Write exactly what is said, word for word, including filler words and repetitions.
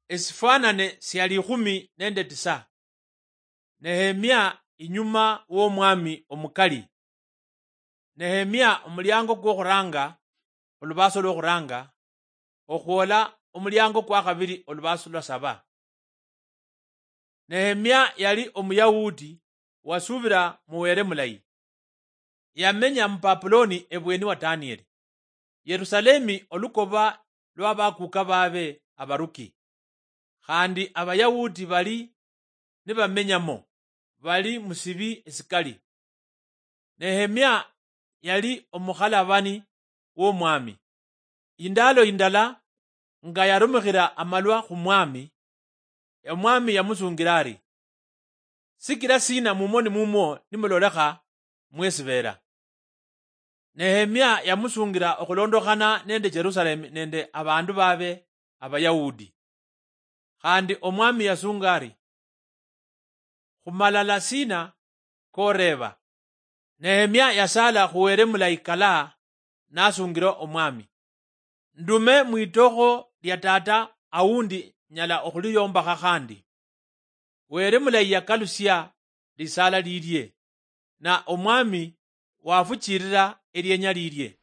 Esifwanane sia likhumi nende tisa. Nehemia inyuma w'omwami omukali. Nehemia omuliango kwokhuranga, olubaaso lwokhuranga, okhwola omuliango kwakhabili olubaaso lwa saba. Nehemia yali Omuyahudi wasuubila mu Wele mulayi. Yamenya mu Babuloni ebweni wa Danieli. Yerusalemi olukoba lwa bakuuka baabe abaruki. Khandi Abayahudi bali nibamenyamo, bali mu sibi esikali. Nehemia yali omukhalabani w'omwami. Indaalo indala nga yarumikhila amalwa khu mwami, omwami yamusungira ari, "Sikila sina mumoni mumwo nimulolekha mwesibeela?" Nehemia yamusungira okhulondokhana nende Jerusalemi nende abandu babe Abayahudi. Khandi omwami yasunga ari, "Khumalala sina koreeba?" Nehemia yasala khu Wele mulayi kala nasungira omwami, "Ndume mwitokho lia tata aundi nyala okhuliyombakha khandi." Wele mulayi yakalusia lisala lilie, na omwami wafuchilila elienya lilie.